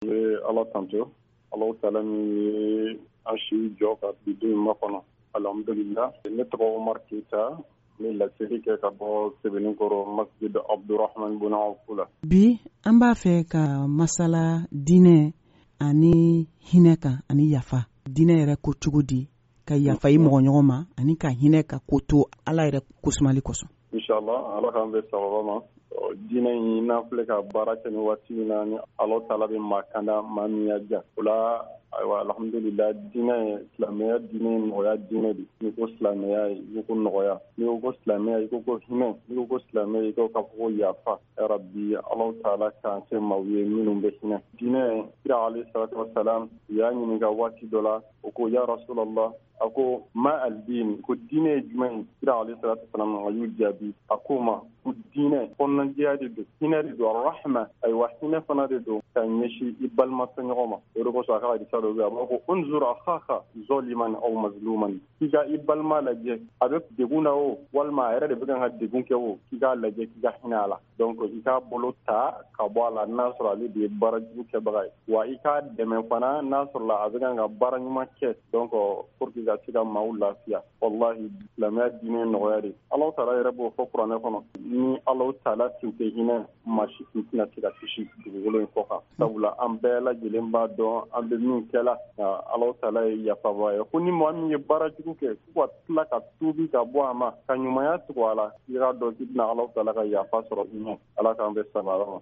N bɛ Ala tanto Alahu taala min ye an si jɔ ka bi don in makɔnɔ, alhamdulila ne tɔgɔ Umaru Keyita n bɛ laseli kɛ ka bɔ Sebenikɔrɔ masjid Abdurahman bun Awuf la. Bi an b'a fɛ ka masala diinɛ ani hinɛ kan ani yafa. Diinɛ yɛrɛ ko cogo di ka yafa i mɔgɔ ɲɔgɔn ma ani ka hinɛ ka ko to Ala yɛrɛ kosumali kosɔn? Inshallah, Ala k'an bɛn sawaba ma. Diinɛ in n'an filɛ ka baara kɛ ni waati min na, ni Alahu taala bɛ maa kanda maa min y'a diya o la, ayiwa, alhamdulila, diinɛ ye silamɛya diinɛ ye nɔgɔya diinɛ de. N'i ko silamɛya, i ko nɔgɔya. N'i ko silamɛya, i ko hinɛ. N'i ko silamɛya, i ko k'a fɔ ko yafa. Ya rabbi, Alahu taala k'an kɛ maaw ye minnu bɛ hinɛ. Diinɛ, kira alayhi salatu wasalam u y'a ɲininka waati dɔ la, o ko: ya rasulallah, a ko: ma aldin, ko diinɛ ye jumɛn ye? Kira alayhi salatu wasalam a y'u jaabi, a ko ma ko diinɛ kɔnɔnajɛya de don, hinɛ de don, rahma, ayiwa, hinɛ fana de don ka ɲɛsin i balima tɔɲɔgɔn ma. O de kosɔn a ka hadisa dɔ bɛ, a b'a ko: unzur akhaka zaliman aw mazluman, k'i ka i balima lajɛ, a bɛ degun na o, walima a yɛrɛ de bɛ kan ka degun kɛ o, k'i k'a lajɛ, k'i ka hinɛ a la. Donc i k'a bolo ta ka bɔ a la n'a sɔrɔ ale de ye baara jugu kɛbaga ye, wa i k'a dɛmɛ fana n'a sɔrɔla a bɛ kan ka baara ɲuman kɛ, donc pour que ka se ka maaw lafiya. Wallahi, silamɛya diinɛ nɔgɔya de. Alahu taala yɛrɛ b'o fɔ kuranɛ kɔnɔ. Ni Alahu taala tun tɛ hinɛ, maa si tun tɛna se ka kisi dugukolo in kɔ kan, sabula an bɛɛ lajɛlen b'a dɔn an bɛ min kɛla. Alahu taala ye yafaba ye, ko ni maa min ye baara jugu kɛ, k'u ka tila ka tuubi ka bɔ a ma, ka ɲumanya tugu a la, i k'a dɔn k'i bɛna Alahu taala ka yafa sɔrɔ i ɲɛ. Ala k'an bɛn sababa ma.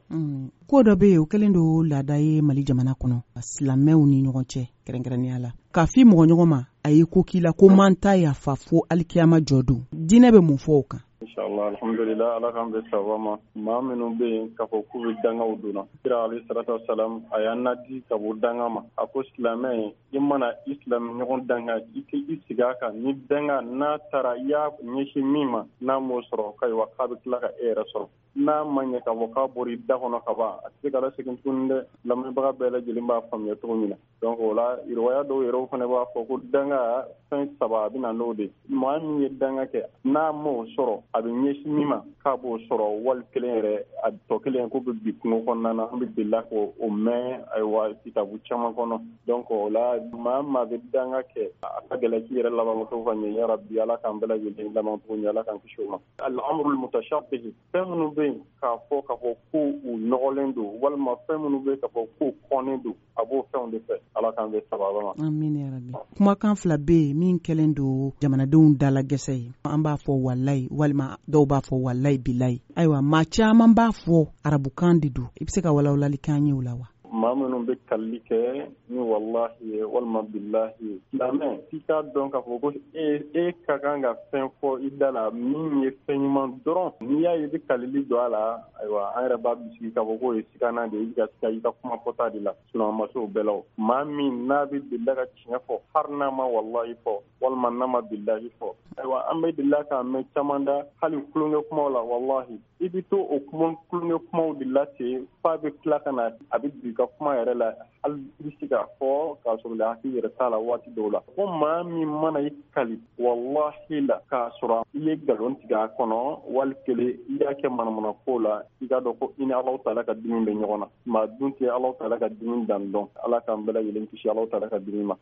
Ko dɔ bɛ yen, o kɛlen don laada ye Mali jamana kɔnɔ, silamɛw ni ɲɔgɔn cɛ kɛrɛnkɛrɛnnenya la, k'a f'i mɔgɔ ɲɔgɔn ma a ye ko k'i la ko man ta yafa fo alikiyama jɔ don. Diinɛ bɛ mun fɔ o kan? Inshallah, alhamdulillah, Ala k'an bɛn sababa ma. Maa minnu bɛ yen k'a fɔ k'u bɛ dangaw donna, kira alayhi salatu wasalam a y'an nadi ka bɔ danga ma. A ko silamɛ, i mana i silamɛ ɲɔgɔn danga, i k'i sigi a kan. Ni danga n'a taara i y'a ɲɛsin min ma, n'a m'o sɔrɔ, ayiwa, k'a bɛ tila ka e yɛrɛ sɔrɔ. N'a ma ɲɛ k'a fɔ k'a bɔra i da kɔnɔ ka ban, a tɛ se ka lasegin tuguni dɛ. Lamɛnbaga bɛɛ lajɛlen b'a faamuya cogo min na. Donc o la, riwaya dɔw yɛrɛ fana b'a fɔ ko danga fɛn saba a bɛ na n'o de. Maa min ye danga kɛ, n'a m'o sɔrɔ, a bɛ ɲɛsin min ma, k'a b'o sɔrɔ, wali kelen yɛrɛ a tɔ kelen k'o bɛ bi kungo kɔnɔna na. An bɛ delila k'o mɛn, ayiwa, kitabu caman kɔnɔ. Donc o la, maa bɛ danga kɛ, a ka gɛlɛn k'i yɛrɛ laban cogo ka ɲɛ. Ya rabbi, Ala k'an bɛɛ lajɛlen laban cogo ɲɛ, Ala k'an kisi o ma. Al-amrul mutashabbih, fɛn minnu bɛ yen k'a fɔ ko u nɔgɔlen don, walima fɛn minnu bɛ yen k'a fɔ k'u kɔnnen don, a b'o fɛnw de fɛ. Ala k'an bɛn sababa ma. Amin ya rabbi. Kumakan fila bɛ yen min kɛlen don jamanadenw dala gɛsɛ ye. An b'a fɔ walayi, walima dɔw b'a fɔ walayi bilayi. Ayiwa, maa caman b'a fɔ arabukan de don. I bɛ se ka walawalali k'an ye o la wa? Maa minnu bɛ kalili kɛ ni wallahi ye walima bilahi ye, silamɛ, k'i k'a dɔn k'a fɔ ko e ka kan ka fɛn fɔ i da la min ye fɛn ɲuman dɔrɔn. N'i y'a ye i bɛ kalili don a la, ayiwa, an yɛrɛ b'a bisigi k'a fɔ k'o ye sigana de ye, i bɛ ka siga i ka kuma fɔta de la. Sinon a ma se o bɛɛ la. O maa min n'a bɛ delila ka tiɲɛ fɔ, hali n'a ma wallahi fɔ walima n'a ma bilahi fɔ, ayiwa, an bɛ delila k'a mɛn caman da, hali tulonkɛ kumaw la. Wallahi, i bɛ to o kuma tulonkɛ kumaw de la ten f'a bɛ tila ka na a bɛ don i ka kuma yɛrɛ la, hali i bɛ se k'a fɔ k'a sɔrɔ la hakili yɛrɛ t'a la waati dɔw la. Ko maa min mana i kali wallahi la k'a sɔrɔ i ye nkalon tigɛ a kɔnɔ, wali kelen i y'a kɛ manamana ko la, i k'a dɔn ko i ni Alahu taala ka dimi bɛ ɲɔgɔn na. Maa dun tɛ Alahu taala ka dimi dan dɔn. Ala k'an bɛɛ lajɛlen kisi Alahu taala ka dimi ma.